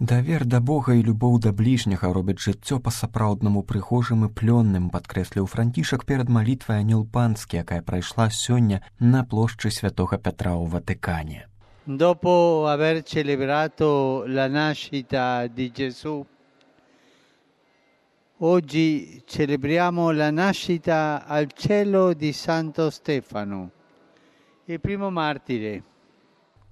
Давер да Бога і любоў да бліжняга робяць жыццё па-сапраўднаму прыгожым і плённым, падкрэсліў Францішак перад малітвай Анёл Панскі, якая прайшла сёння на плошчы Святога Петра ў Ватыкане. Dopo aver celebrato la nascita di Gesù, oggi celebriamo la nascita al cielo di Santo Stefano, il primo martire.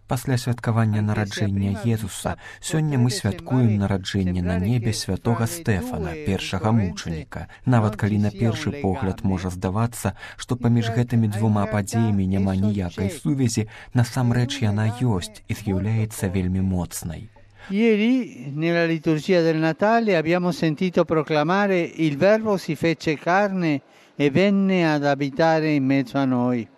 Пасля святкавання нараджэння Езуса сёння мы святкуем нараджэнне на небе святога Стэфана, першага мучаніка. Нават калі на першы погляд можа здавацца, што паміж гэтымі двума падзеямі няма ніякай сувязі, насамрэч яна ёсць і з'яўляецца вельмі моцнай. Ieri nella liturgia del Natale abbiamo sentito proclamare il Verbo si fece carne e venne ad abitare in mezzo a noi.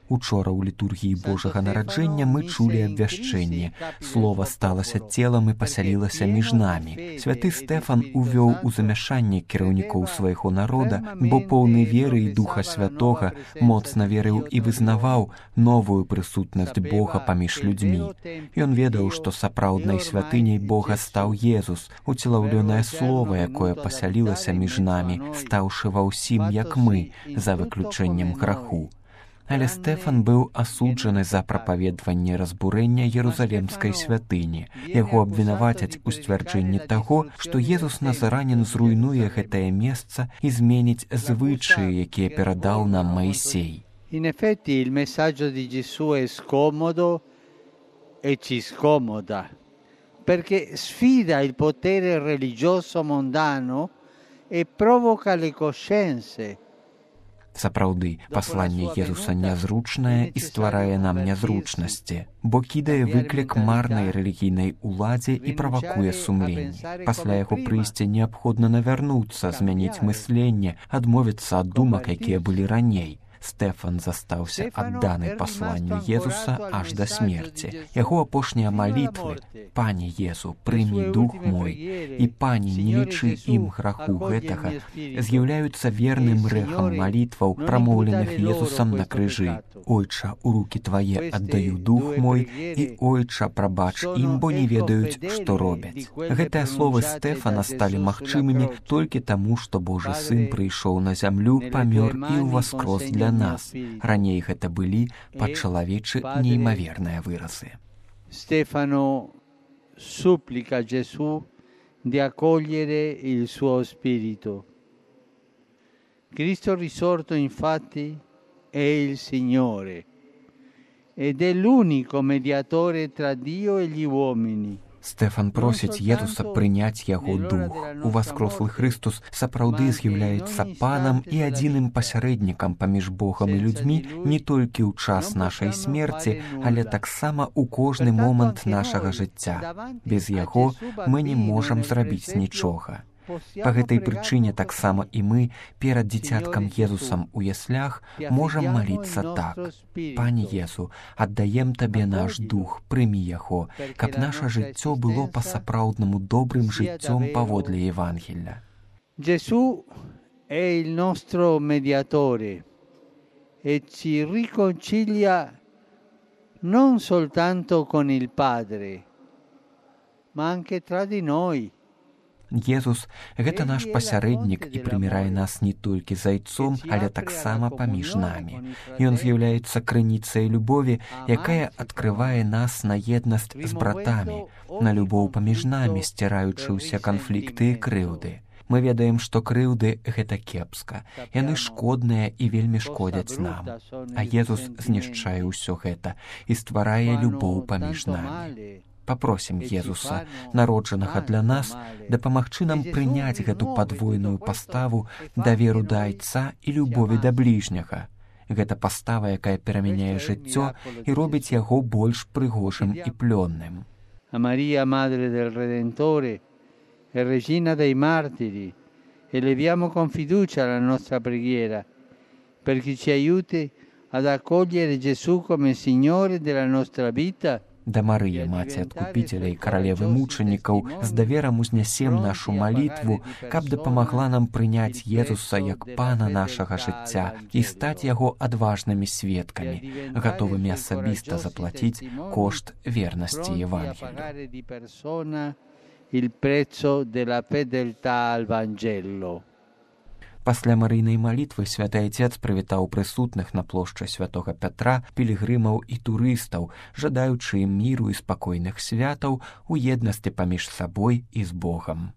Учора ў літургіі Божага нараджэння мы чулі абвяшчэнне. Слова сталася целам і пасялілася між намі. Святы Стэфан увёў у замяшанне кіраўнікоў свайго народа, бо поўны веры і Духа Святога моцна верыў і вызнаваў новую прысутнасць Бога паміж людзьмі. Ён ведаў, што сапраўднай святыняй Бога стаў Езус, уцелаўлёнае слова, якое пасялілася між намі, стаўшы ва ўсім, як мы, за выключэннем граху. Але Стэфан быў асуджаны за прапаведванне разбурэння Ерусалемскай святыні. Яго абвінавацяць у сцвярджэнні таго, што Езус Назаранін зруйнуе гэтае месца і зменіць звычаі, якія перадаў нам Маісей. In effetti il messaggio di Gesù è scomodo e ci scomoda, perché sfida il potere religioso mondano e provoca le coscienze. Сапраўды, пасланне Езуса нязручнае і стварае нам нязручнасці, бо кідае выклік марнай рэлігійнай уладзе і правакуе сумленне. Пасля яго прыйсця неабходна навярнуцца, змяніць мысленне, адмовіцца ад думак, якія былі раней. Стэфан застаўся адданы пасланню Езуса аж да смерці. Яго апошнія малітвы «Пане Езу, прымі дух мой» і «Пане, не лічы ім граху гэтага» з'яўляюцца верным рэхам малітваў, прамоўленых Езусам на крыжы. «Ойча, у рукі твае аддаю дух мой» і «Ойча, прабач ім, бо не ведаюць, што робяць». Гэтыя словы Стэфана сталі магчымымі толькі таму, што Божы Сын прыйшоў на зямлю, памёр і ўваскрос для нас. Раней гэта былі па-чалавечы неймаверныя выразы. Stefano supplica Gesù di accogliere il suo spirito. Cristo risorto infatti è il Signore ed è l'unico mediatore tra Dio e gli uomini. Стэфан просіць Езуса прыняць яго дух. Уваскрослы Хрыстус сапраўды з'яўляецца панам і адзіным пасярэднікам паміж Богам і людзьмі не толькі ў час нашай смерці, але таксама ў кожны момант нашага жыцця. Без яго мы не можам зрабіць нічога. Па гэтай прычыне таксама і мы перад дзіцяткам Езусам у яслях можам маліцца так. «Пане Езу, аддаем Табе наш дух, прымі яго, каб наша жыццё было па-сапраўднаму добрым жыццём паводле Евангелля». Gesù è il nostro mediatore e ci riconcilia non soltanto con il Padre, ma anche tra di noi. Езус – гэта наш пасярэднік і прымірае нас не толькі з Айцом, але таксама паміж намі. Ён з'яўляецца крыніцай любові, якая адкрывае нас на еднасць з братамі, на любоў паміж намі, сціраючы ўсе канфлікты і крыўды. Мы ведаем, што крыўды – гэта кепска. Яны шкодныя і вельмі шкодзяць нам. А Езус знішчае ўсё гэта і стварае любоў паміж намі. Папросім Езуса, народжанага для нас, дапамагчы нам прыняць гэту падвойную паставу даверу да Айца і любові да бліжняга. Гэта пастава, якая перамяняе жыццё і робіць яго больш прыгожым і плённым. A Maria, Madre del Redentore e Regina dei Martiri, eleviamo con fiducia la nostra preghiera perché ci aiuti ad accogliere Gesù come Signore della nostra vita. Да Марыі, Маці Адкупіцеля і Каралевы мучанікаў, з даверам узнясем нашу малітву, каб дапамагла нам прыняць Езуса як Пана нашага жыцця і стаць яго адважнымі сведкамі, гатовымі асабіста заплаціць кошт вернасці Евангелію. il prezzo della fedeltà al Vangelo. Пасля марыйнай малітвы святы айцец прывітаў прысутных на плошчы святога Пятра, пілігрымаў і турыстаў, жадаючы ім міру і спакойных святаў у еднасці паміж сабой і з Богам.